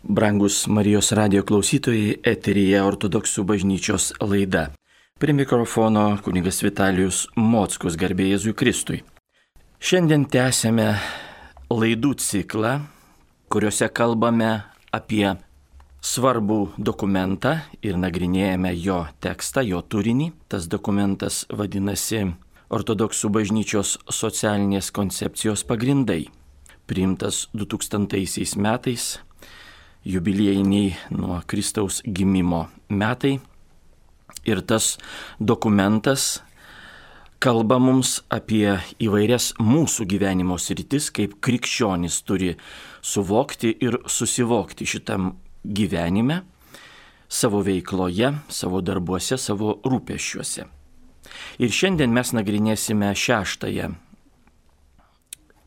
Brangus Marijos radijo klausytojai, eteryje Ortodoksų bažnyčios laida. Prie mikrofono kunigas Vitalijus Mockus, garbė Jėzui Kristui. Šiandien tęsėme laidų ciklą, kuriuose kalbame apie svarbų dokumentą ir nagrinėjame jo tekstą, jo turinį. Tas dokumentas vadinasi Ortodoksų bažnyčios socialinės koncepcijos pagrindai. Priimtas 2000 metais, jubiliejiniai nuo Kristaus gimimo metai. Ir tas dokumentas kalba mums apie įvairias mūsų gyvenimo sritis, kaip krikščionys turi suvokti ir susivokti šitam gyvenime, savo veikloje, savo darbuose, savo rūpesčiuose. Ir šiandien mes nagrinėsime 6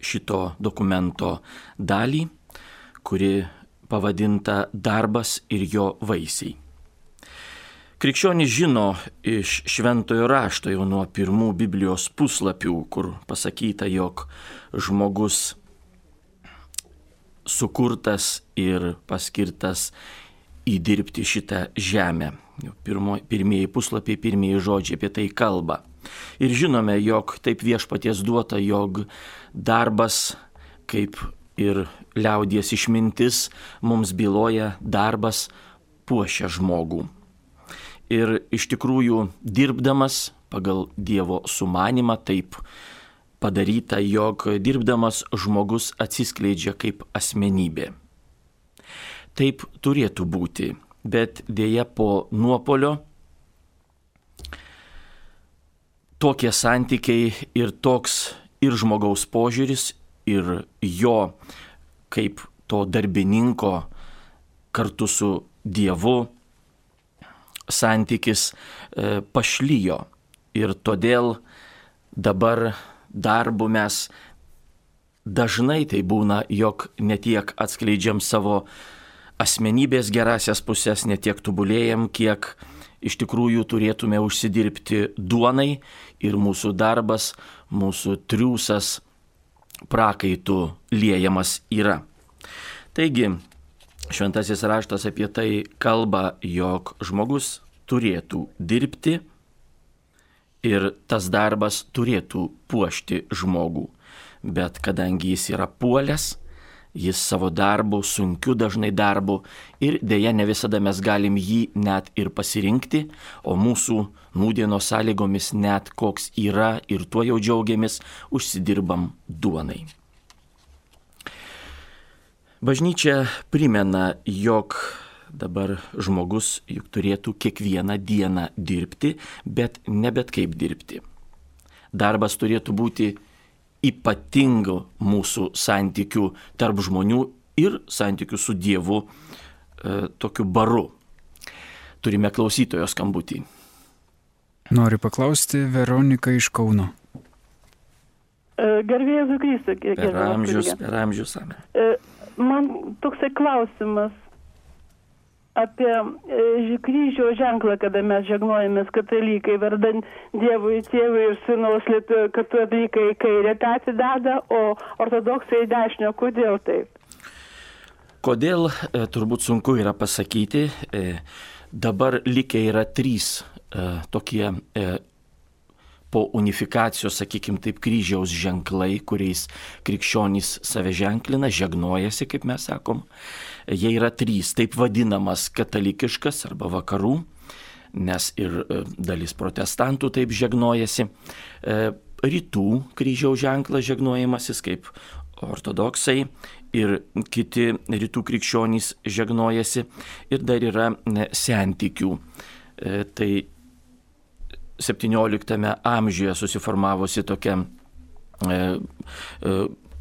šito dokumento dalį, kuri pavadinta Darbas ir jo vaisiai. Krikščionys žino iš Šventojo rašto jau nuo pirmų Biblijos puslapių, kur pasakyta, jog žmogus sukurtas ir paskirtas įdirbti šitą žemę. Pirmieji puslapiai, pirmieji žodžiai apie tai kalba. Ir žinome, jog taip viešpaties duota, jog darbas, kaip ir liaudies išmintis, mums byloja, darbas puošia žmogų. Ir iš tikrųjų dirbdamas pagal Dievo sumanimą taip padaryta, jog dirbdamas žmogus atsiskleidžia kaip asmenybė. Taip turėtų būti, bet dėja po nuopolio tokie santykiai ir toks ir žmogaus požiūris, ir jo kaip to darbininko kartu su Dievu santykis pašlijo. Ir todėl dabar darbu mes dažnai tai būna, jog ne tiek atskleidžiam savo asmenybės gerasias pusės, ne tiek tobulėjam, kiek iš tikrųjų turėtume užsidirbti duonai ir mūsų darbas, mūsų triūsas prakaitų liejamas yra. Taigi, Šventasis raštas apie tai kalba, jog žmogus turėtų dirbti ir tas darbas turėtų puošti žmogų. Bet kadangi jis yra puolęs, jis savo darbu, sunkiu dažnai darbu, ir dėja ne visada mes galim jį net ir pasirinkti, o mūsų nūdienos sąlygomis net koks yra ir tuo jau džiaugiamės, užsidirbam duonai. Bažnyčia primena, jog dabar žmogus juk turėtų kiekvieną dieną dirbti, bet ne bet kaip dirbti. Darbas turėtų būti ypatingų mūsų santykių tarp žmonių ir santykių su Dievu tokiu baru. Turime klausytojo skambutį. Noriu paklausti Veroniką iš Kauno. Garbė Jėzui Kristui. Per amžius. Man toksai klausimas apie kryžiaus ženklą, kada mes žegnojamės katalikai, vardant Dievui, Tėvui ir Sūnaus, katalikai į kairę petį deda, o ortodoksai į dešinę. Kodėl taip? Kodėl, turbūt sunku yra pasakyti. Dabar likę yra 3 tokie po unifikacijos, sakykim taip, kryžiaus ženklai, kuriais krikščionys save ženklina, žegnojasi, kaip mes sakom. Jie yra 3, taip vadinamas katalikiškas arba vakarų, nes ir dalis protestantų taip žegnojasi. Rytų kryžiaus ženklas žegnojamasis, kaip ortodoksai ir kiti rytų krikščionys žegnojasi. Ir dar yra sentikių. Tai 17 amžiuje susiformavusi tokia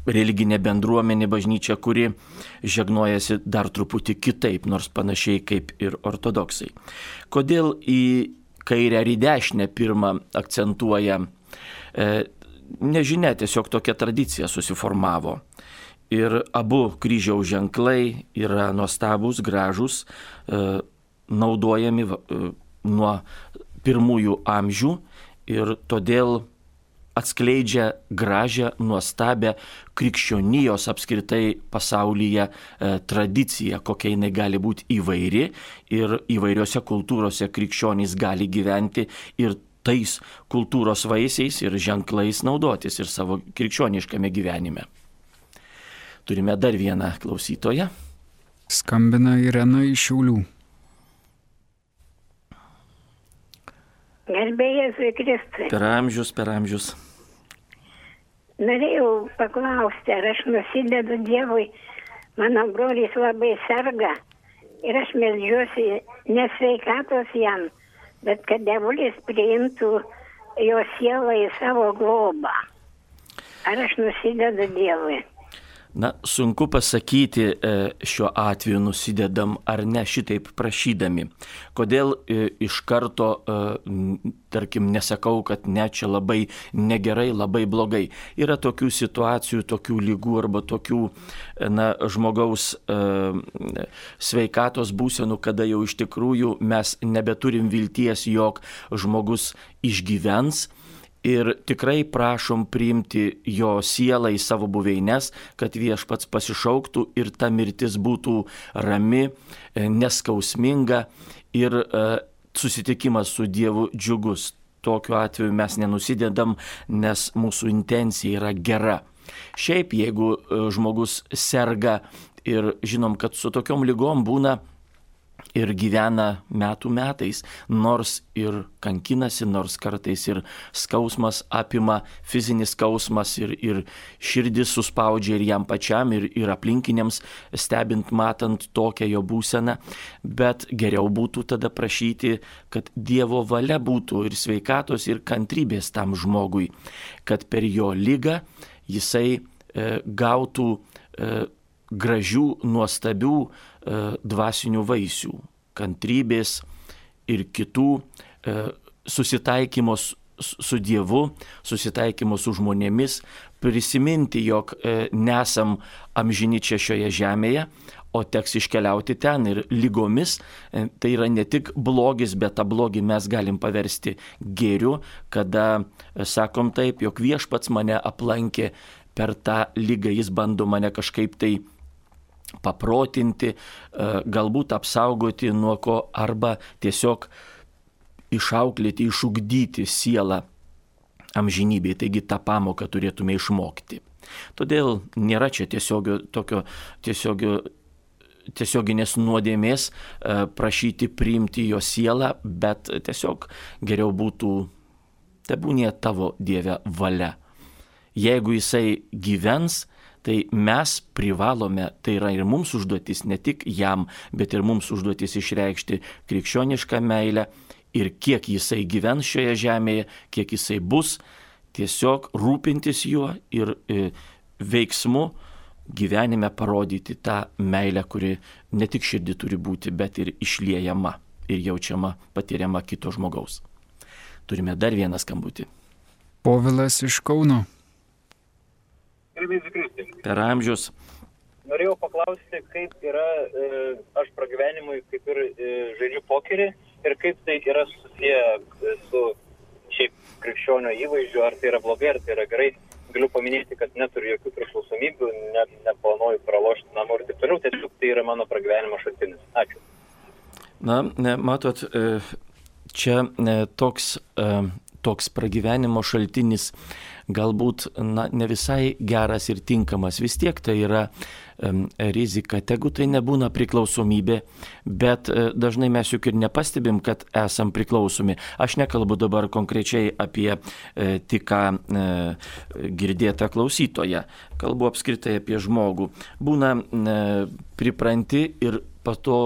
religinė bendruomenė, bažnyčia, kuri žegnojasi dar truputį kitaip, nors panašiai kaip ir ortodoksai. Kodėl į kairę ar į dešinę pirmą akcentuoja? Nežinia, tiesiog tokia tradicija susiformavo. Ir abu kryžiaus ženklai yra nuostabūs, gražūs, naudojami nuo pirmųjų amžių ir todėl atskleidžia gražią, nuostabią krikščionijos apskritai pasaulyje tradiciją, kokia jinai gali būti įvairi ir įvairiose kultūrose krikščionys gali gyventi ir tais kultūros vaisiais ir ženklais naudotis ir savo krikščioniškame gyvenime. Turime dar vieną klausytoją. Skambina Irena iš Šiaulių. Garbėjai Jėzui Kristui. Per amžius. Norėjau paklausti, ar aš nusidedu Dievui. Mano brolis labai serga ir aš meldžiuosi ne sveikatos jam, bet kad dievulis priimtų jo sielą į savo globą. Ar aš nusidedu Dievui? Na, sunku pasakyti šiuo atveju nusidedam ar ne šitaip prašydami. Kodėl iš karto, tarkim, nesakau, kad ne, čia labai negerai, labai blogai. Yra tokių situacijų, tokių lygų arba tokių žmogaus sveikatos būsenų, kada jau iš tikrųjų mes nebeturim vilties, jog žmogus išgyvens. Ir tikrai prašom priimti jo sielą į savo buveines, kad Viešpats pasišauktų ir ta mirtis būtų rami, neskausminga ir susitikimas su Dievu džiugus. Tokiu atveju mes nenusidedam, nes mūsų intencija yra gera. Šiaip, jeigu žmogus serga ir žinom, kad su tokiom ligom būna ir gyvena metų metais, nors ir kankinasi, nors kartais ir skausmas apima, fizinis skausmas ir širdis suspaudžia ir jam pačiam, ir aplinkiniams stebint, matant tokią jo būseną, bet geriau būtų tada prašyti, kad Dievo valia būtų ir sveikatos, ir kantrybės tam žmogui, kad per jo ligą jisai gautų gražių, nuostabių dvasinių vaisių, kantrybės ir kitų susitaikymo su Dievu, susitaikymo su žmonėmis, prisiminti, jog nesam amžini čia šioje žemėje, o teks iškeliauti ten ir lygomis. Tai yra ne tik blogis, bet tą blogį mes galim paversti gėriu, kada sakom taip, jog Viešpats mane aplankė per tą ligą, jis bando mane kažkaip tai paprotinti, galbūt apsaugoti nuo ko, arba tiesiog išauklėti, išugdyti sielą amžinybėje. Taigi tą pamoką turėtume išmokti. Todėl nėra čia tiesioginės nuodėmės prašyti priimti jo sielą, bet tiesiog geriau būtų, tebūnie tavo Dieve valia. Jeigu jisai gyvens, tai mes privalome, tai yra ir mums užduotis, ne tik jam, bet ir mums užduotis išreikšti krikščionišką meilę ir kiek jisai gyvens šioje žemėje, kiek jisai bus, tiesiog rūpintis juo ir veiksmu gyvenime parodyti tą meilę, kuri ne tik širdį turi būti, bet ir išliejama ir jaučiama, patiriama kito žmogaus. Turime dar vieną skambutį. Povilas iš Kauno. Per amžius. Norėjau paklausti, kaip yra, aš pragyvenimui kaip ir žaidžiu pokerį ir kaip tai yra susiję su šiaip krikščionio įvaizdžiu, ar tai yra blogai, ar tai yra gerai. Galiu paminėti, kad neturiu jokių priklausomybių, neplanuoju pralošti namų ir taip toliau, tiesiog tai yra mano pragyvenimo šaltinis. Ačiū. Na, matot, čia toks pragyvenimo šaltinis galbūt ne visai geras ir tinkamas. Vis tiek tai yra rizika. Tegu tai nebūna priklausomybė, bet dažnai mes juk ir nepastebim, kad esam priklausomi. Aš nekalbu dabar konkrečiai apie tik ką girdėtą klausytoją. Kalbu apskritai apie žmogų. Būna pripranti ir po to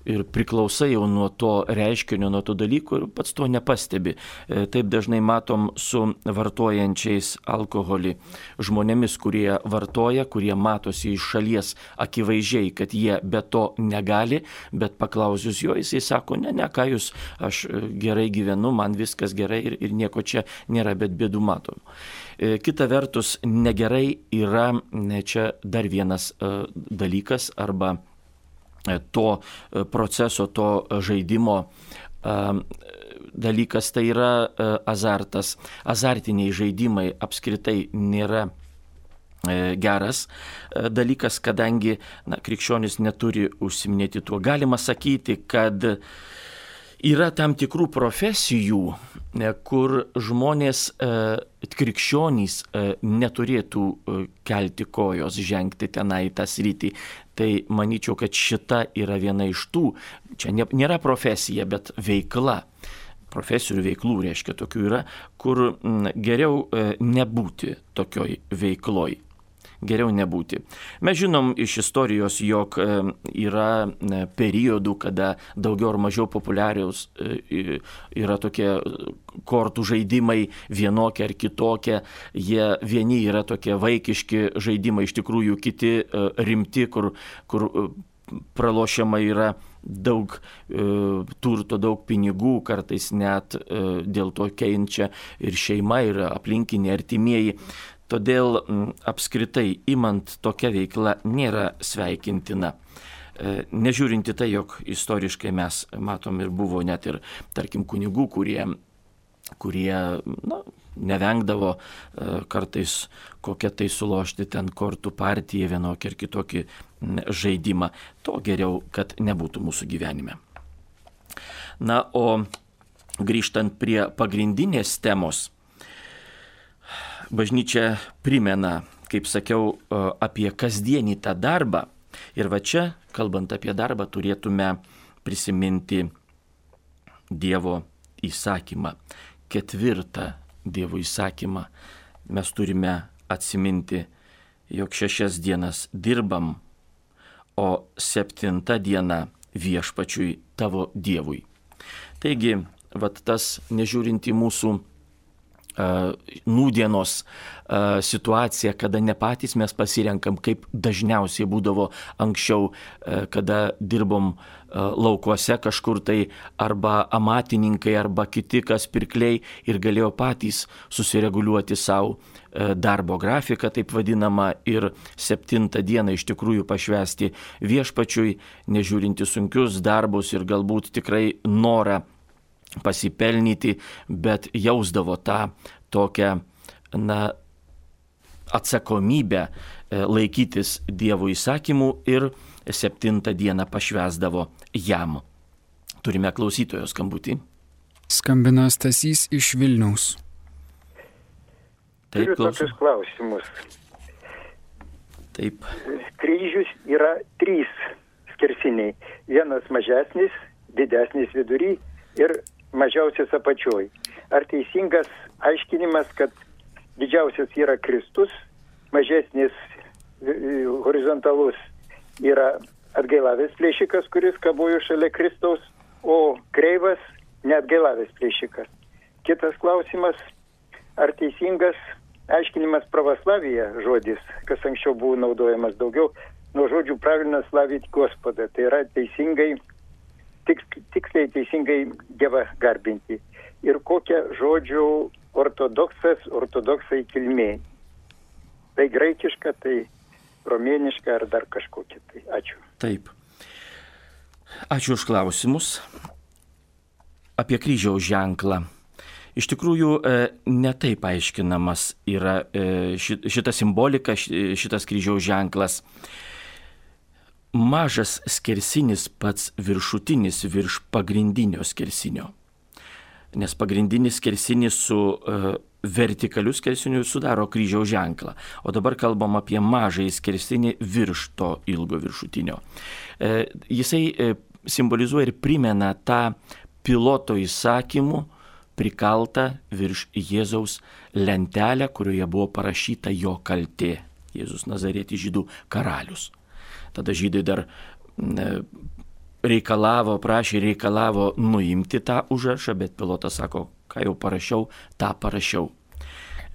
ir priklausai jau nuo to reiškinio, nuo to dalyko ir pats to nepastebi. Taip dažnai matom su vartojančiais alkoholį žmonėmis, kurie vartoja, kurie matosi iš šalies akivaizdžiai, kad jie be to negali, bet paklausius jo, jisai sako, ne, ką jūs, aš gerai gyvenu, man viskas gerai ir nieko čia nėra, bet bėdų matom. Kita vertus, negerai yra čia dar vienas dalykas arba to proceso, to žaidimo dalykas tai yra azartas. Azartiniai žaidimai apskritai nėra geras dalykas, kadangi krikščionis neturi užsiminėti tuo. Galima sakyti, kad yra tam tikrų profesijų, kur žmonės, krikščionys neturėtų kelti kojos, žengti tenai tą sritį. Tai manyčiau, kad šita yra viena iš tų, čia nėra profesija, bet veikla. Profesijų ir veiklų, reiškia, tokių yra, kur geriau nebūti tokioj veikloj. Geriau nebūti. Mes žinom iš istorijos, jog yra periodų, kada daugiau ar mažiau populiariaus yra tokie kortų žaidimai, vienokie ar kitokie. Jie vieni yra tokie vaikiški žaidimai, iš tikrųjų kiti rimti, kur pralošiama yra daug turto, daug pinigų, kartais net dėl to kenčia ir šeima, ir aplinkiniai, artimieji. Todėl apskritai imant tokia veikla nėra sveikintina. Nežiūrinti tai, jog istoriškai mes matom ir buvo net ir, tarkim, kunigų, kurie nevengdavo kartais kokią tai sulošti ten kortų partiją, vienokį ar kitokį žaidimą. To geriau, kad nebūtų mūsų gyvenime. Na, o grįžtant prie pagrindinės temos, bažnyčia primena, kaip sakiau, apie kasdienį tą darbą. Ir va čia, kalbant apie darbą, turėtume prisiminti Dievo įsakymą. 4 Dievo įsakymą. Mes turime atsiminti, jog 6 dienas dirbam, o 7 diena viešpačiui tavo Dievui. Taigi, va tas nežiūrint į mūsų nūdienos situacija, kada ne patys mes pasirenkam, kaip dažniausiai būdavo anksčiau, kada dirbom laukuose kažkur tai, arba amatininkai, arba kiti, kas pirkliai, ir galėjo patys susireguliuoti savo darbo grafiką, taip vadinamą, ir 7 dieną iš tikrųjų pašvęsti viešpačiui, nežiūrinti sunkius darbus ir galbūt tikrai norą pasipelnyti, bet jausdavo tą tokią atsakomybę laikytis Dievo įsakymų ir 7 dieną pašvęsdavo jam. Turime klausytojo skambutį. Skambina Stasys iš Vilniaus. Taip, turiu tokius klausimus. Taip. Kryžius yra 3 skersiniai. Vienas mažesnis, didesnis vidury ir mažiausias apačioj. Ar teisingas aiškinimas, kad didžiausias yra Kristus, mažesnis horizontalus yra atgailavęs plėšikas, kuris kabojo šalia Kristaus, o kreivas neatgailavęs plėšikas. Kitas klausimas, ar teisingas aiškinimas pravoslavija žodis, kas anksčiau buvo naudojamas daugiau, nuo žodžių pravilna slavyti Gospodą. Tai yra teisingai, tiksliai teisingai Dievą garbinti. Ir kokia žodžių ortodoksai kilmė. Tai graikiška, tai romėniška ar dar kažkokia. Tai ačiū. Taip. Ačiū už klausimus. Apie kryžiaus ženklą. Iš tikrųjų, netaip aiškinamas yra šita simbolika, šitas kryžiaus ženklas. Mažas skersinis pats viršutinis virš pagrindinio skersinio. Nes pagrindinis skersinis su vertikaliu skersiniu sudaro kryžiaus ženklą. O dabar kalbam apie mažąjį skersinį virš to ilgo viršutinio. Jisai simbolizuoja ir primena tą piloto įsakymų prikaltą virš Jėzaus lentelę, kurioje buvo parašyta jo kaltė. Jėzus Nazarėtis žydų karalius. Tada žydai dar reikalavo nuimti tą užrašą, bet pilotas sako, ką jau parašiau, tą parašiau.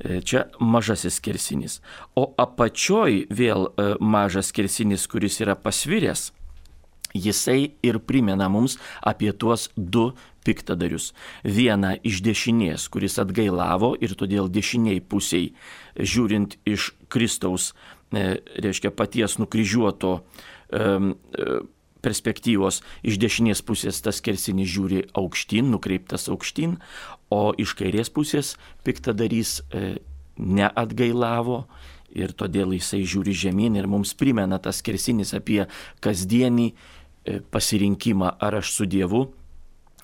Čia mažasis skersinis. O apačioj vėl mažas skersinis, kuris yra pasviręs, jisai ir primena mums apie tuos 2 piktadarius. Vieną iš dešinės, kuris atgailavo ir todėl dešiniai pusiai, žiūrint iš Kristaus, reiškia paties nukryžiuoto perspektyvos iš dešinės pusės tas skersinis žiūri aukštyn, nukreiptas aukštyn, o iš kairės pusės piktadarys neatgailavo ir todėl jisai žiūri žemyn ir mums primena tas skersinis apie kasdienį pasirinkimą, ar aš su Dievu,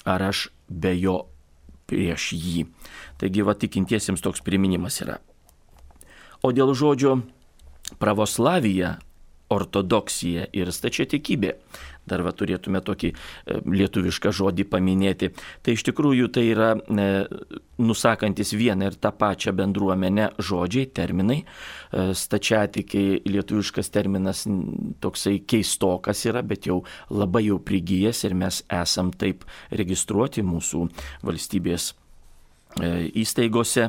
ar aš be jo prieš jį. Taigi, tikintiesiems toks priminimas yra. O dėl žodžio pravoslavija, ortodoksija ir stačiatikybė, dar turėtume tokį lietuvišką žodį paminėti, tai iš tikrųjų tai yra nusakantis vieną ir tą pačią bendruomenę žodžiai, terminai. Stačiatikiai lietuviškas terminas toksai keistokas yra, bet jau labai jau prigijęs ir mes esam taip registruoti mūsų valstybės įstaigose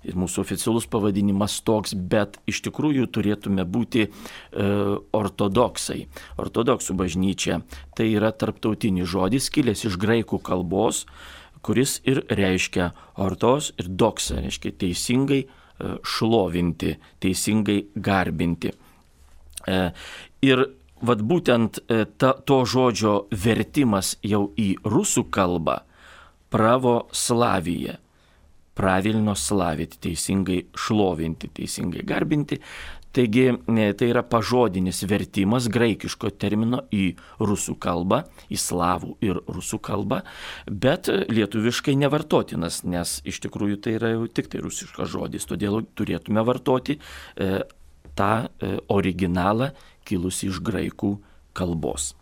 ir mūsų oficialus pavadinimas toks, bet iš tikrųjų turėtume būti ortodoksai. Ortodoksų bažnyčia tai yra tarptautinis žodis, kilęs iš graikų kalbos, kuris ir reiškia ortos ir doksa, reiškia teisingai šlovinti, teisingai garbinti. Ir būtent to žodžio vertimas jau į rusų kalbą pravoslavija. Pravilno slavyti, teisingai šlovinti, teisingai garbinti. Taigi tai yra pažodinis vertimas graikiško termino į rusų kalbą, į slavų ir rusų kalbą, bet lietuviškai nevartotinas, nes iš tikrųjų tai yra jau tik tai rusiškas žodis, todėl turėtume vartoti tą originalą kilusį iš graikų kalbos.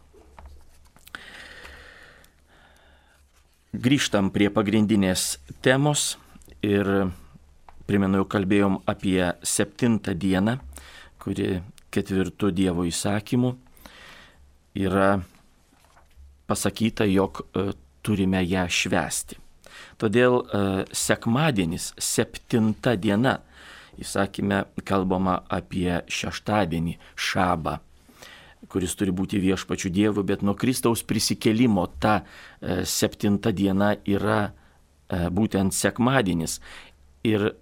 Grįžtam prie pagrindinės temos. Ir primenu, jau kalbėjom apie 7 dieną, kuri 4 Dievo įsakymų yra pasakyta, jog turime ją švęsti. Todėl sekmadienis, 7 diena, įsakyme kalbama apie šeštadienį, šabą, kuris turi būti viešpačiu Dievu, bet nuo Kristaus prisikėlimo ta 7 diena yra būtent sekmadienis. Ir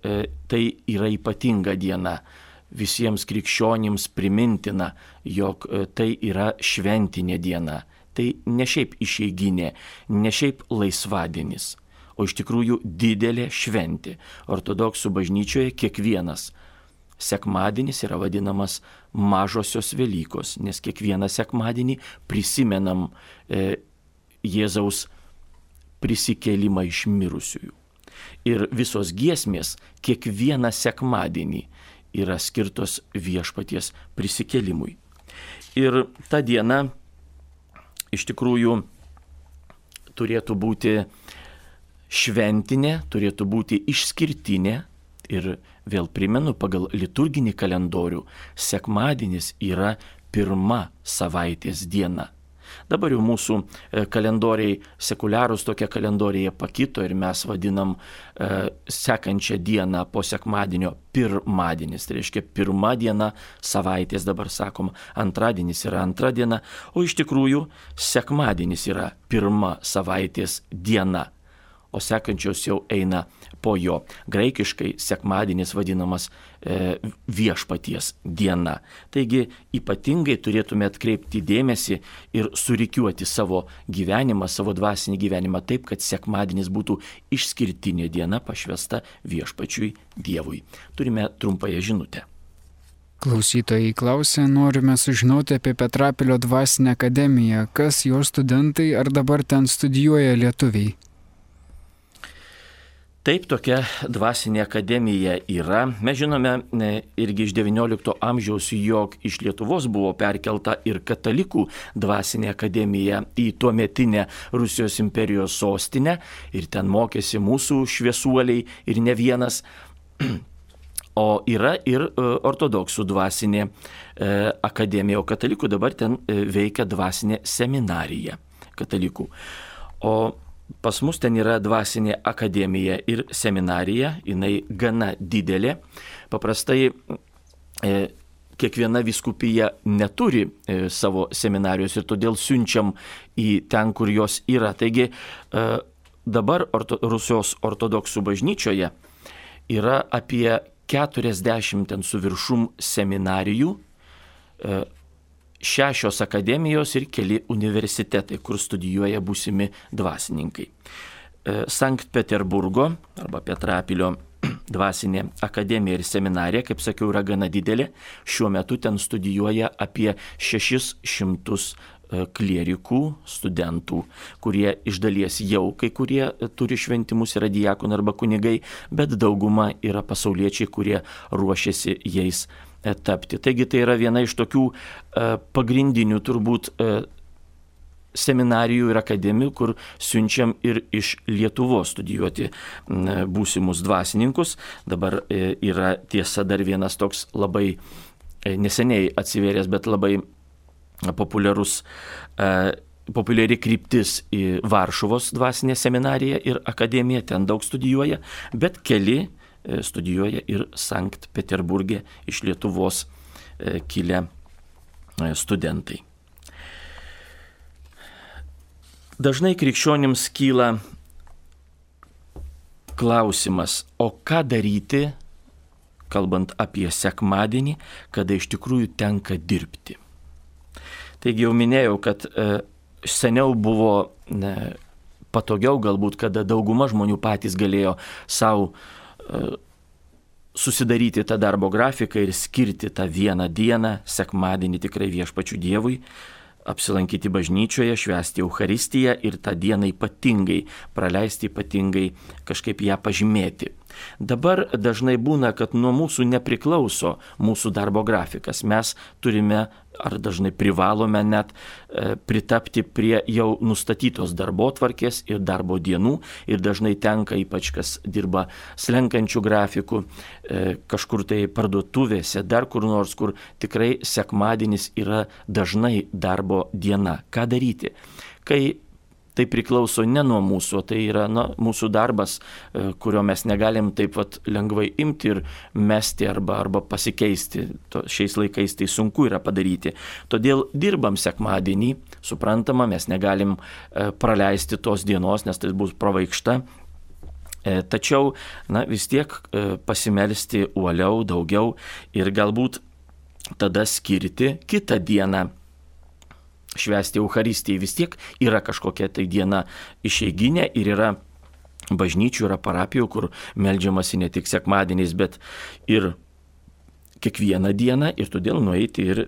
tai yra ypatinga diena. Visiems krikščionims primintina, jog tai yra šventinė diena. Tai ne šiaip išeiginė, ne šiaip laisvadienis, o iš tikrųjų didelė šventė. Ortodoksų bažnyčioje kiekvienas sekmadienis yra vadinamas mažosios Velykos, nes kiekvieną sekmadienį prisimenam Jėzaus prisikėlimą iš mirusiųjų. Ir visos giesmės kiekvieną sekmadienį yra skirtos viešpaties prisikėlimui. Ir ta diena iš tikrųjų turėtų būti šventinė, turėtų būti išskirtinė. Ir vėl primenu, pagal liturginį kalendorių sekmadienis yra pirma savaitės diena. Dabar jau mūsų kalendoriai, sekuliarūs tokie kalendoriai pakito ir mes vadinam sekančią dieną po sekmadienio pirmadienis. Tai reiškia pirma diena savaitės, dabar sakom, antradienis yra antra diena, o iš tikrųjų sekmadienis yra pirma savaitės diena, o sekančios jau eina po jo. Graikiškai sekmadienis vadinamas viešpaties diena. Taigi ypatingai turėtume atkreipti dėmesį ir surikiuoti savo gyvenimą, savo dvasinį gyvenimą taip, kad sekmadienis būtų išskirtinė diena pašvęsta viešpačiui Dievui. Turime trumpąją žinutę. Klausytojai klausia, norime sužinoti apie Petrapilio dvasinę akademiją. Kas jos studentai, ar dabar ten studijuoja lietuviai? Taip, tokia dvasinė akademija yra. Mes žinome irgi iš XIX amžiaus, jog iš Lietuvos buvo perkelta ir katalikų dvasinė akademija į tuometinę Rusijos imperijos sostinę ir ten mokėsi mūsų šviesuoliai ir ne vienas. O yra ir ortodoksų dvasinė akademija, o katalikų dabar ten veikia dvasinė seminarija katalikų. O pas mus ten yra dvasinė akademija ir seminarija, jinai gana didelė. Paprastai kiekviena vyskupija neturi savo seminarijos ir todėl siunčiam į ten, kur jos yra. Taigi dabar Rusijos ortodoksų bažnyčioje yra apie 40 ten su viršum seminarijų, 6 akademijos ir keli universitetai, kur studijuoja būsimi dvasininkai. Sankt Peterburgo arba Petrapilio dvasinė akademija ir seminarija, kaip sakiau, yra gana didelė. Šiuo metu ten studijuoja apie 600 klierikų, studentų, kurie iš dalies jau kai kurie turi šventimus, yra diakonai arba kunigai, bet dauguma yra pasauliečiai, kurie ruošiasi jais tapti. Taigi tai yra viena iš tokių pagrindinių turbūt seminarijų ir akademijų, kur siunčiam ir iš Lietuvos studijuoti būsimus dvasininkus. Dabar yra tiesa dar vienas toks labai neseniai atsivėręs, bet labai populiari kryptis į Varšuvos dvasinę seminariją ir akademiją, ten daug studijuoja, bet keli studijuoja ir Sankt Peterburge iš Lietuvos kilę studentai. Dažnai krikščionims kyla klausimas, o ką daryti, kalbant apie sekmadienį, kada iš tikrųjų tenka dirbti. Taigi jau minėjau, kad seniau buvo patogiau galbūt, kada dauguma žmonių patys galėjo savo susidaryti tą darbo grafiką ir skirti tą vieną dieną, sekmadienį tikrai viešpačiu Dievui, apsilankyti bažnyčioje, švęsti Eucharistiją ir tą dieną ypatingai praleisti, ypatingai kažkaip ją pažymėti. Dabar dažnai būna, kad nuo mūsų nepriklauso mūsų darbo grafikas. Mes turime ar dažnai privalome net pritapti prie jau nustatytos darbotvarkės ir darbo dienų ir dažnai tenka, ypač kas dirba slenkančių grafikų, kažkur tai parduotuvėse, dar kur nors, kur tikrai sekmadienis yra dažnai darbo diena. Ką daryti? Kai tai priklauso ne nuo mūsų, tai yra mūsų darbas, kurio mes negalim taip lengvai imti ir mesti arba pasikeisti. Šiais laikais tai sunku yra padaryti. Todėl dirbam sekmadienį, suprantama, mes negalim praleisti tos dienos, nes tai bus pravaikšta. Tačiau vis tiek pasimelsti uoliau, daugiau ir galbūt tada skirti kitą dieną. Švęsti Eucharistiją. Vis tiek yra kažkokia tai diena išeiginė ir yra bažnyčių, yra parapijų, kur meldžiamasi ne tik sekmadieniais, bet ir kiekvieną dieną ir todėl nueiti ir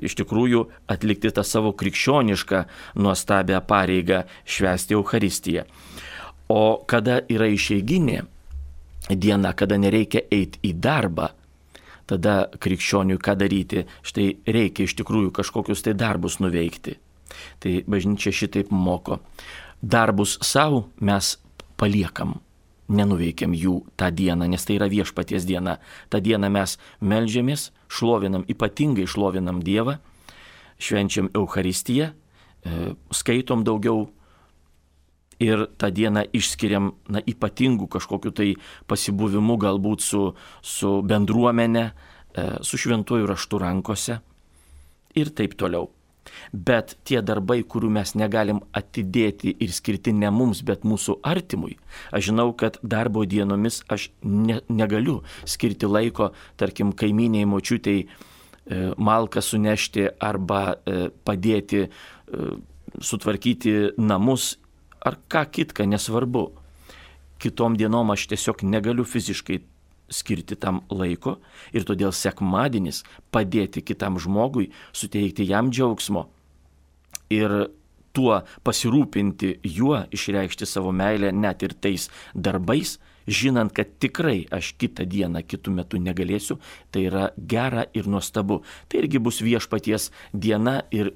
iš tikrųjų atlikti tą savo krikščionišką nuostabią pareigą švęsti Eucharistiją. O kada yra išeiginė diena, kada nereikia eiti į darbą, tada krikščioniui ką daryti? Štai reikia iš tikrųjų kažkokius tai darbus nuveikti. Tai bažnyčia šitaip moko. Darbus savo mes paliekam, nenuveikiam jų tą dieną, nes tai yra viešpaties diena. Ta diena mes meldžiamės, šlovinam, ypatingai šlovinam Dievą, švenčiam Eucharistiją, skaitom daugiau ir tą dieną išskiriam ypatingų kažkokiu tai pasibuvimu galbūt su bendruomenė, su šventuoju raštu rankose ir taip toliau. Bet tie darbai, kurių mes negalim atidėti ir skirti ne mums, bet mūsų artimui, aš žinau, kad darbo dienomis aš negaliu skirti laiko, tarkim, kaimynei močiutei malką sunešti arba padėti sutvarkyti namus, ar ką kitką, nesvarbu. Kitom dienom aš tiesiog negaliu fiziškai skirti tam laiko ir todėl sekmadienis padėti kitam žmogui, suteikti jam džiaugsmo ir tuo pasirūpinti juo, išreikšti savo meilę net ir tais darbais, žinant, kad tikrai aš kitą dieną, kitų metų negalėsiu, tai yra gera ir nuostabu. Tai irgi bus viešpaties diena ir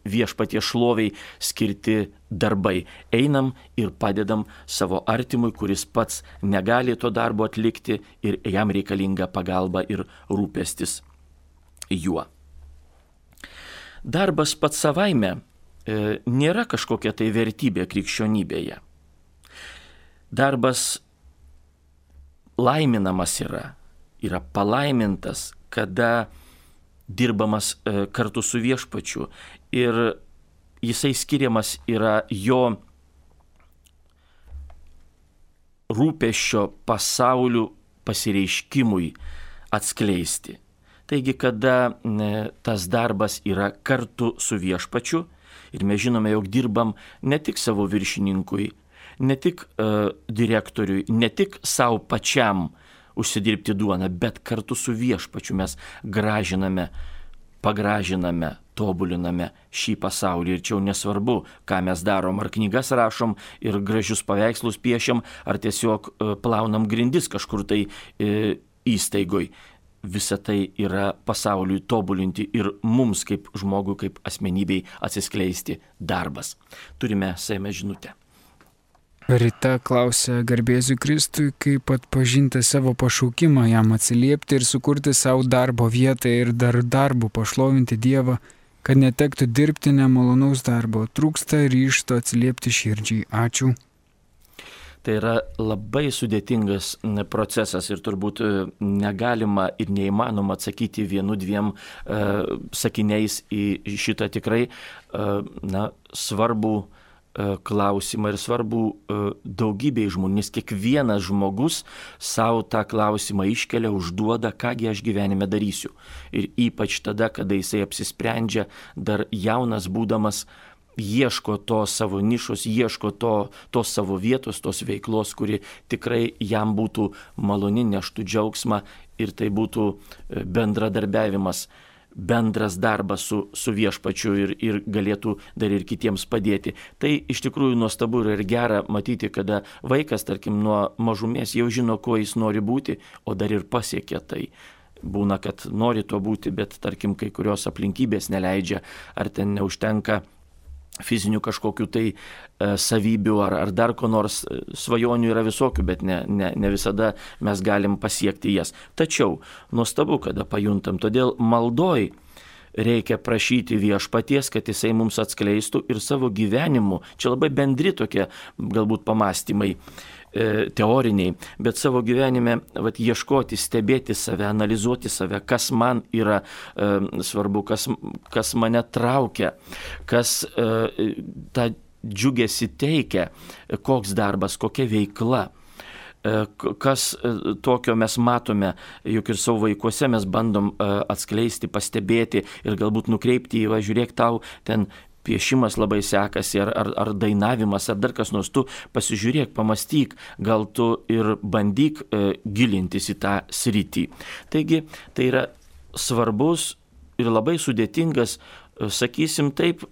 viešpaties šloviai skirti darbai. Einam ir padedam savo artimui, kuris pats negali to darbo atlikti ir jam reikalinga pagalba ir rūpestis juo. Darbas pats savaime nėra kažkokia tai vertybė krikščionybėje. Darbas laiminamas yra palaimintas, kada dirbamas kartu su viešpačiu ir jisai skiriamas yra jo rūpesčio pasaulių pasireiškimui atskleisti. Taigi, kada tas darbas yra kartu su viešpačiu ir mes žinome, jog dirbam ne tik savo viršininkui, ne tik direktoriui, ne tik savo pačiam užsidirbti duoną, bet kartu su viešpačiu mes gražiname, pagražiname, tobuliname šį pasaulį. Ir čia jau nesvarbu, ką mes darom, ar knygas rašom ir gražius paveikslus piešiam, ar tiesiog plaunam grindis kažkur tai įstaigoj. Visa tai yra pasauliui tobulinti ir mums kaip žmogui, kaip asmenybei atsiskleisti darbas. Turime Seime žinutę. Rita klausia, garbėsiu Kristui, kaip atpažinti savo pašaukimą, jam atsiliepti ir sukurti savo darbo vietą ir dar darbu pašlovinti Dievą, kad netektų dirbti nemalonaus darbo. Trūksta ryžto atsiliepti širdžiai. Ačiū. Tai yra labai sudėtingas procesas ir turbūt negalima ir neįmanoma atsakyti 1-2 sakiniais į šitą tikrai svarbų klausimą ir svarbu daugybei žmonių, nes kiekvienas žmogus savo tą klausimą iškelia, užduoda, kągi aš gyvenime darysiu. Ir ypač tada, kada jisai apsisprendžia, dar jaunas būdamas, ieško to savo nišos, ieško tos savo vietos, tos veiklos, kuri tikrai jam būtų maloni, neštų džiaugsmą ir tai būtų bendradarbiavimas, bendras darbas su viešpačiu ir galėtų dar ir kitiems padėti. Tai iš tikrųjų nuostabu ir gera matyti, kada vaikas, tarkim, nuo mažumės jau žino, kuo jis nori būti, o dar ir pasiekia tai. Būna, kad nori to būti, bet tarkim, kai kurios aplinkybės neleidžia, ar ten neužtenka fizinių kažkokių tai savybių ar dar ko nors. Svajonių yra visokių, bet ne visada mes galim pasiekti jas. Tačiau nuostabu, kada pajuntam, todėl maldoj reikia prašyti viešpaties, kad jisai mums atskleistų ir savo gyvenimu. Čia labai bendri tokie galbūt pamastymai teoriniai, bet savo gyvenime ieškoti, stebėti save, analizuoti save, kas man yra svarbu, kas mane traukia, kas tą džiugesį teikia, koks darbas, kokia veikla. Kas tokio mes matome, juk ir savo vaikuose mes bandom atskleisti, pastebėti ir galbūt nukreipti į, žiūrėk, tau ten piešimas labai sekasi, ar dainavimas, ar dar kas nors, tu pasižiūrėk, pamastyk, gal tu ir bandyk gilintis į tą sritį. Taigi, tai yra svarbus ir labai sudėtingas, sakysim taip,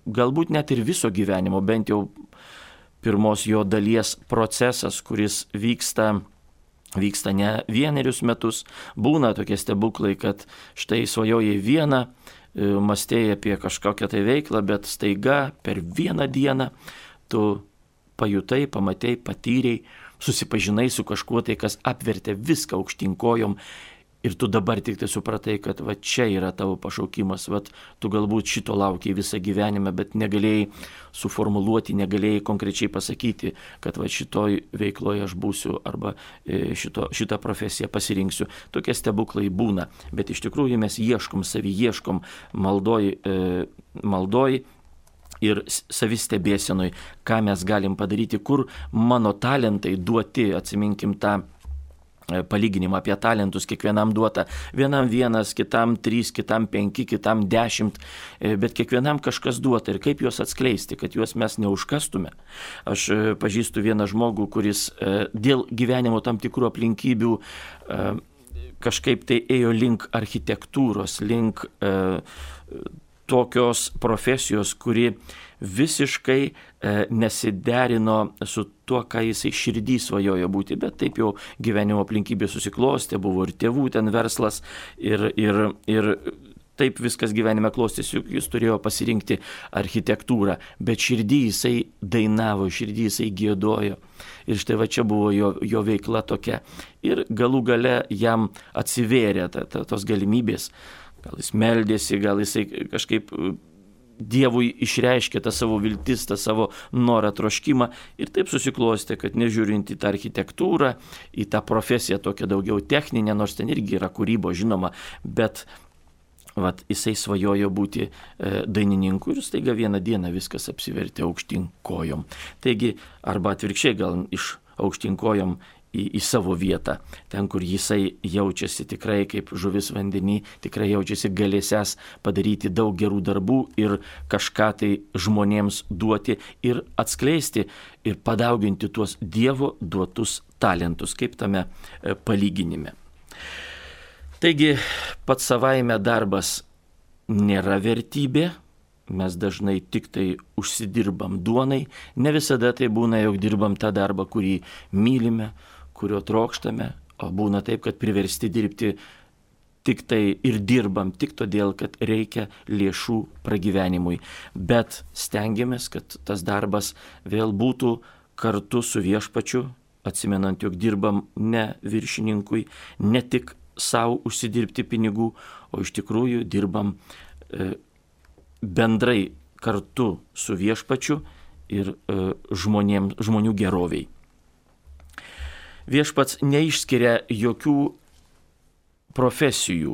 galbūt net ir viso gyvenimo, bent jau pirmos jo dalies procesas, kuris vyksta ne 1 metus, būna tokie stebuklai, kad štai svajojai vieną, mąstėjai apie kažkokią tai veiklą, bet staiga per 1 dieną tu pajutai, pamatei, patyrei, susipažinai su kažkuo tai, kas apvertė viską aukštyn kojom ir tu dabar tik tai supratai, kad čia yra tavo pašaukimas, tu galbūt šito laukiai visą gyvenimą, bet negalėjai suformuluoti, negalėjai konkrečiai pasakyti, kad šitoj veikloje aš būsiu arba šitą profesiją pasirinksiu. Tokie stebuklai būna, bet iš tikrųjų mes ieškom, ieškom maldoj ir savistebėsenoj, ką mes galim padaryti, kur mano talentai duoti, atsiminkim tą palyginimą apie talentus, kiekvienam duota. Vienam 1, kitam 3, kitam 5, kitam 10, bet kiekvienam kažkas duota ir kaip juos atskleisti, kad juos mes neužkastume. Aš pažįstu vieną žmogų, kuris dėl gyvenimo tam tikrų aplinkybių kažkaip tai ėjo link architektūros, link tokios profesijos, kuri visiškai nesiderino su tuo, ką jisai širdį svajojo būti, bet taip jau gyvenimo aplinkybė susiklostė, buvo ir tėvų ten verslas ir taip viskas gyvenime klostėsi, juk jis turėjo pasirinkti architektūrą, bet širdį jisai dainavo, širdį jisai giedojo. Ir štai čia buvo jo veikla tokia. Ir galų gale jam atsivėrė tos galimybės. Gal jis meldėsi, gal jisai kažkaip Dievui išreiškė tą savo viltis, tą savo norą, troškimą ir taip susiklostė, kad nežiūrint į tą architektūrą, į tą profesiją tokią daugiau techninę, nors ten irgi yra kūrybo, žinoma, bet jisai svajojo būti dainininku ir staiga 1 dieną viskas apsivertė aukštyn kojom. Taigi, arba atvirkščiai gal iš aukštyn kojom į savo vietą, ten, kur jisai jaučiasi tikrai kaip žuvis vandenį, tikrai jaučiasi galėsęs padaryti daug gerų darbų ir kažką tai žmonėms duoti ir atskleisti ir padauginti tuos Dievo duotus talentus, kaip tame palyginime. Taigi, pats savaime darbas nėra vertybė, mes dažnai tik tai užsidirbam duonai, ne visada tai būna, jog dirbam tą darbą, kurį mylime, kurio trokštame, o būna taip, kad priversti dirbti tik tai ir dirbam tik todėl, kad reikia lėšų pragyvenimui. Bet stengiamės, kad tas darbas vėl būtų kartu su viešpačiu, atsimenant, jog dirbam ne viršininkui, ne tik savo užsidirbti pinigų, o iš tikrųjų dirbam bendrai kartu su viešpačiu ir žmonių geroviai. Viešpats neišskiria jokių profesijų.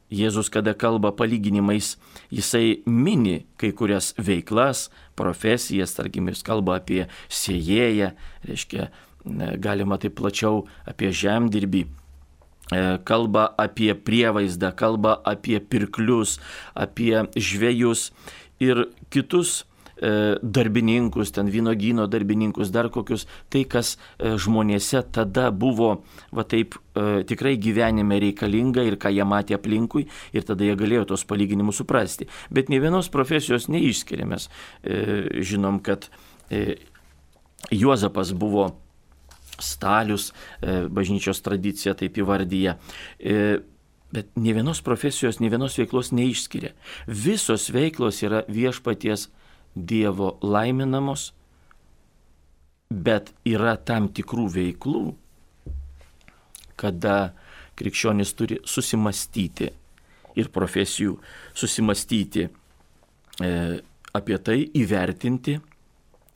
Jėzus, kada kalba palyginimais, jisai mini kai kurias veiklas, profesijas, tarkim, jis kalba apie sėjėją, reiškia, galima taip plačiau apie žemdirbį, kalba apie prievaizdą, kalba apie pirklius, apie žvejus ir kitus darbininkus, ten vynogyno darbininkus, dar kokius, tai kas žmonėse tada buvo va taip tikrai gyvenime reikalinga ir ką jie matė aplinkui ir tada jie galėjo tos palyginimus suprasti. Bet nei vienos profesijos neišskiriamės. Žinom, kad Juozapas buvo stalius, bažnyčios tradicija taip įvardyja. Bet nei vienos profesijos, nei vienos veiklos neišskiria. Visos veiklos yra viešpaties Dievo laiminamos, bet yra tam tikrų veiklų, kada krikščionis turi susimastyti ir profesijų susimastyti apie tai, įvertinti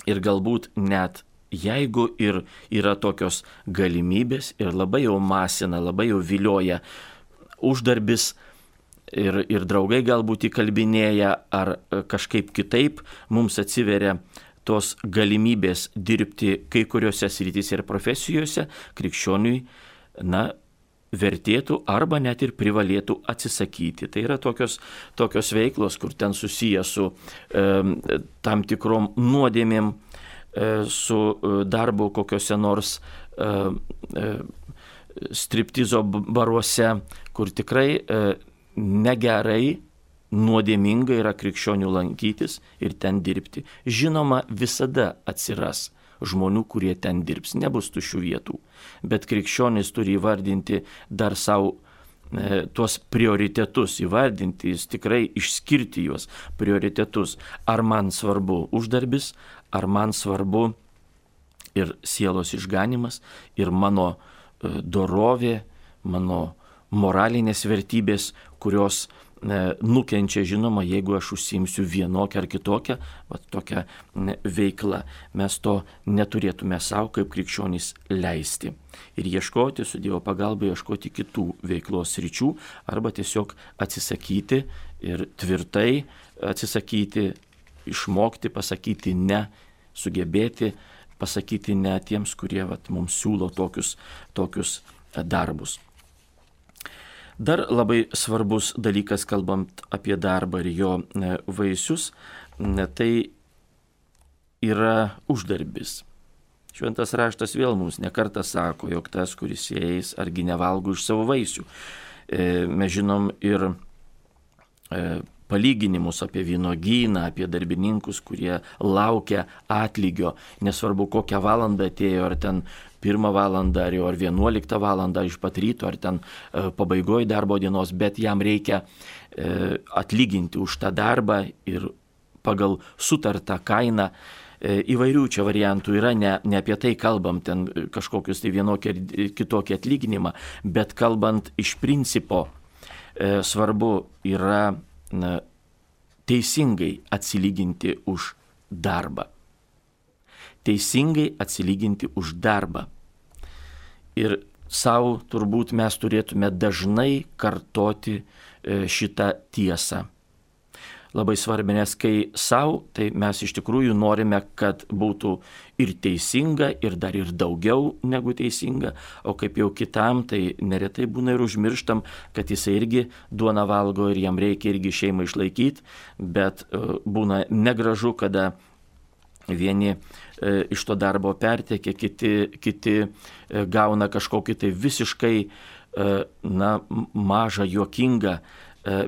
ir galbūt net jeigu ir yra tokios galimybės ir labai jau masina, labai jau vilioja uždarbis, ir draugai galbūt įkalbinėja ar kažkaip kitaip mums atsiveria tos galimybės dirbti kai kuriuose srityse ir profesijose, krikščioniui, vertėtų arba net ir privalėtų atsisakyti. Tai yra tokios veiklos, kur ten susiję su tam tikrom nuodėmėm, su darbu kokiuose nors striptizo baruose, kur tikrai negerai, nuodėminga yra krikščionių lankytis ir ten dirbti. Žinoma, visada atsiras žmonių, kurie ten dirbs, nebus tuščių vietų. Bet krikščionis turi įvardinti dar savo tuos prioritetus, įvardinti, jis tikrai išskirti juos prioritetus. Ar man svarbu uždarbis, ar man svarbu ir sielos išganimas, ir mano dorovė, mano moralinės vertybės, kurios nukenčia, žinoma, jeigu aš užsiimsiu vienokią ar kitokią tokią veiklą. Mes to neturėtume savo kaip krikščionys leisti. Ir ieškoti, su Dievo pagalba, ieškoti kitų veiklos sričių arba tiesiog atsisakyti ir tvirtai atsisakyti, išmokti, pasakyti ne, sugebėti pasakyti ne tiems, kurie mums siūlo tokius darbus. Dar labai svarbus dalykas, kalbant apie darbą ir jo vaisius, tai yra uždarbis. Šventas raštas vėl mums nekartą sako, jog tas, kuris eis, argi nevalgo iš savo vaisių. Mes žinom ir palyginimus apie vynogyną, apie darbininkus, kurie laukia atlygio, nesvarbu kokią valandą atėjo, ar ten 1 valandą, ar 11 valandą iš pat ryto, ar ten pabaigoje darbo dienos, bet jam reikia atlyginti už tą darbą ir pagal sutartą kainą. Įvairių čia variantų yra, ne apie tai kalbam, ten kažkokius tai vienokį ar kitokį atlyginimą, bet kalbant iš principo, svarbu yra teisingai atsilyginti už darbą. Teisingai atsilyginti už darbą. Ir savo turbūt mes turėtume dažnai kartoti šitą tiesą. labai svarbi, nes kai savo, tai mes iš tikrųjų norime, kad būtų ir teisinga, ir dar ir daugiau negu teisinga, o kaip jau kitam, tai neretai būna ir užmirštam, kad jisai irgi duoną valgo ir jam reikia irgi šeimą išlaikyti, bet būna negražu, kada vieni iš to darbo pertiekia, kiti gauna kažkokį tai visiškai mažą, juokingą,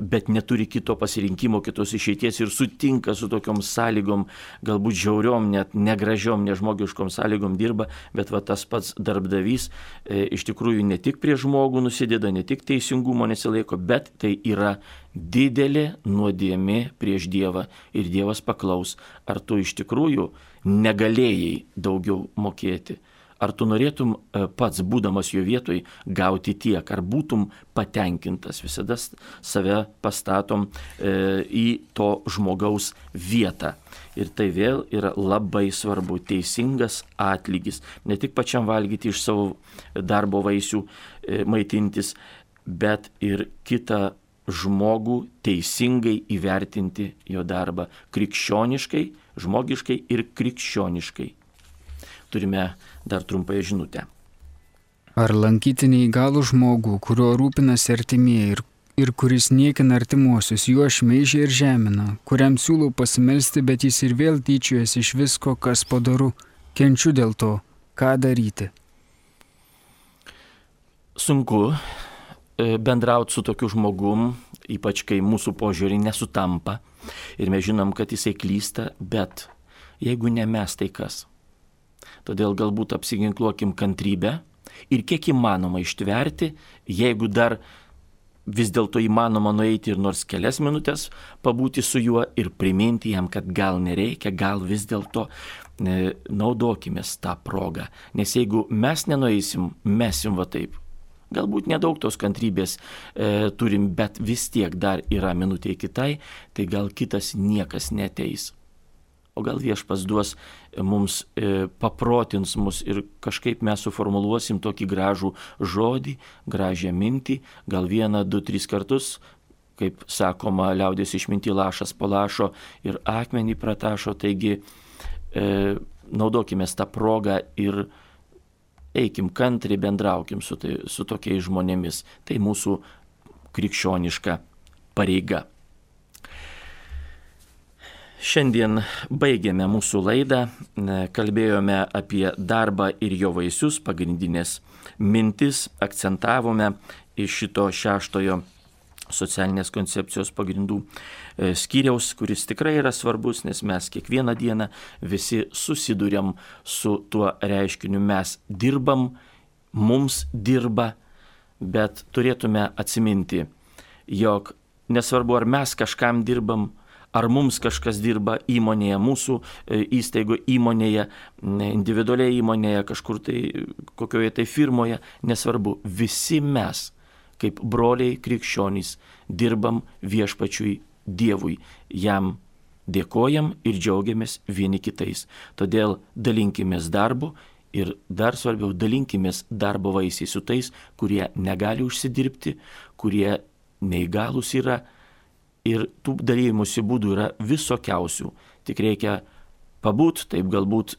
bet neturi kito pasirinkimo, kitos išeities ir sutinka su tokiom sąlygom, galbūt žiauriom, net negražiom, nežmogiškom sąlygom dirba, bet va tas pats darbdavys iš tikrųjų ne tik prie žmogų nusideda, ne tik teisingumo nesilaiko, bet tai yra didelė nuodėmė prieš Dievą ir Dievas paklaus, ar tu iš tikrųjų negalėjai daugiau mokėti. Ar tu norėtum pats, būdamas jo vietoj, gauti tiek, ar būtum patenkintas, visada save pastatom į to žmogaus vietą. Ir tai vėl yra labai svarbu, teisingas atlygis, ne tik pačiam valgyti iš savo darbo vaisių, maitintis, bet ir kitą žmogų teisingai įvertinti jo darbą krikščioniškai, žmogiškai ir krikščioniškai. Turime dar trumpąją žinutę. Ar lankyti neįgalų žmogų, kuriuo rūpinasi artimieji ir kuris niekina artimuosius, juo šmeižia ir žemina, kuriam siūlau pasimelsti, bet jis ir vėl tyčiojasi iš visko, kas padaru, kenčiu dėl to, ką daryti? Sunku bendrauti su tokiu žmogum, ypač kai mūsų požiūriai nesutampa ir mes žinom, kad jisai klysta, bet jeigu ne mes, tai kas? Todėl galbūt apsiginkluokim kantrybę ir kiek įmanoma ištverti, jeigu dar vis dėlto įmanoma nueiti ir nors kelias minutės pabūti su juo ir priminti jam, kad gal nereikia, gal vis dėlto naudokimės tą progą. Nes jeigu mes nenueisim, mesim va taip. Galbūt nedaug tos kantrybės turim, bet vis tiek dar yra minutė kitai, tai gal kitas niekas neteis. O gal Viešpats duos mums, paprotins mus ir kažkaip mes suformuluosim tokį gražų žodį, gražią mintį, gal 1, 2, 3 kartus, kaip sakoma, liaudies išminty lašas po lašo ir akmenį pratašo, taigi naudokime tą progą ir eikim kantriai, bendraukim su tokiais žmonėmis. Tai mūsų krikščioniška pareiga. Šiandien baigėme mūsų laidą, kalbėjome apie darbą ir jo vaisius, pagrindinės mintis, akcentavome iš šito 6 socialinės koncepcijos pagrindų skyriaus, kuris tikrai yra svarbus, nes mes kiekvieną dieną visi susiduriam su tuo reiškiniu, mes dirbam, mums dirba, bet turėtume atsiminti, jog nesvarbu, ar mes kažkam dirbam, ar mums kažkas dirba įmonėje, mūsų įstaigo įmonėje, individualiai įmonėje, kažkur tai, kokioje tai firmoje, nesvarbu, visi mes, kaip broliai krikščionys, dirbam Viešpačiui Dievui, jam dėkojam ir džiaugiamės vieni kitais. Todėl dalinkimės darbu ir dar svarbiau, dalinkimės darbo vaisiais su tais, kurie negali užsidirbti, kurie neįgalūs yra. Ir tų dalymosi būdų yra visokiausių. Tik reikia pabūt, taip galbūt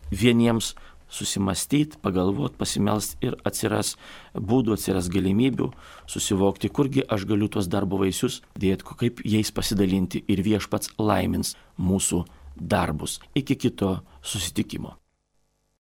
vieniems susimastyti, pagalvoti, pasimelst ir atsiras būdų, atsiras galimybių susivokti, kurgi aš galiu tuos darbo vaisius dėti, kaip jais pasidalinti ir Viešpats laimins mūsų darbus. Iki kito susitikimo.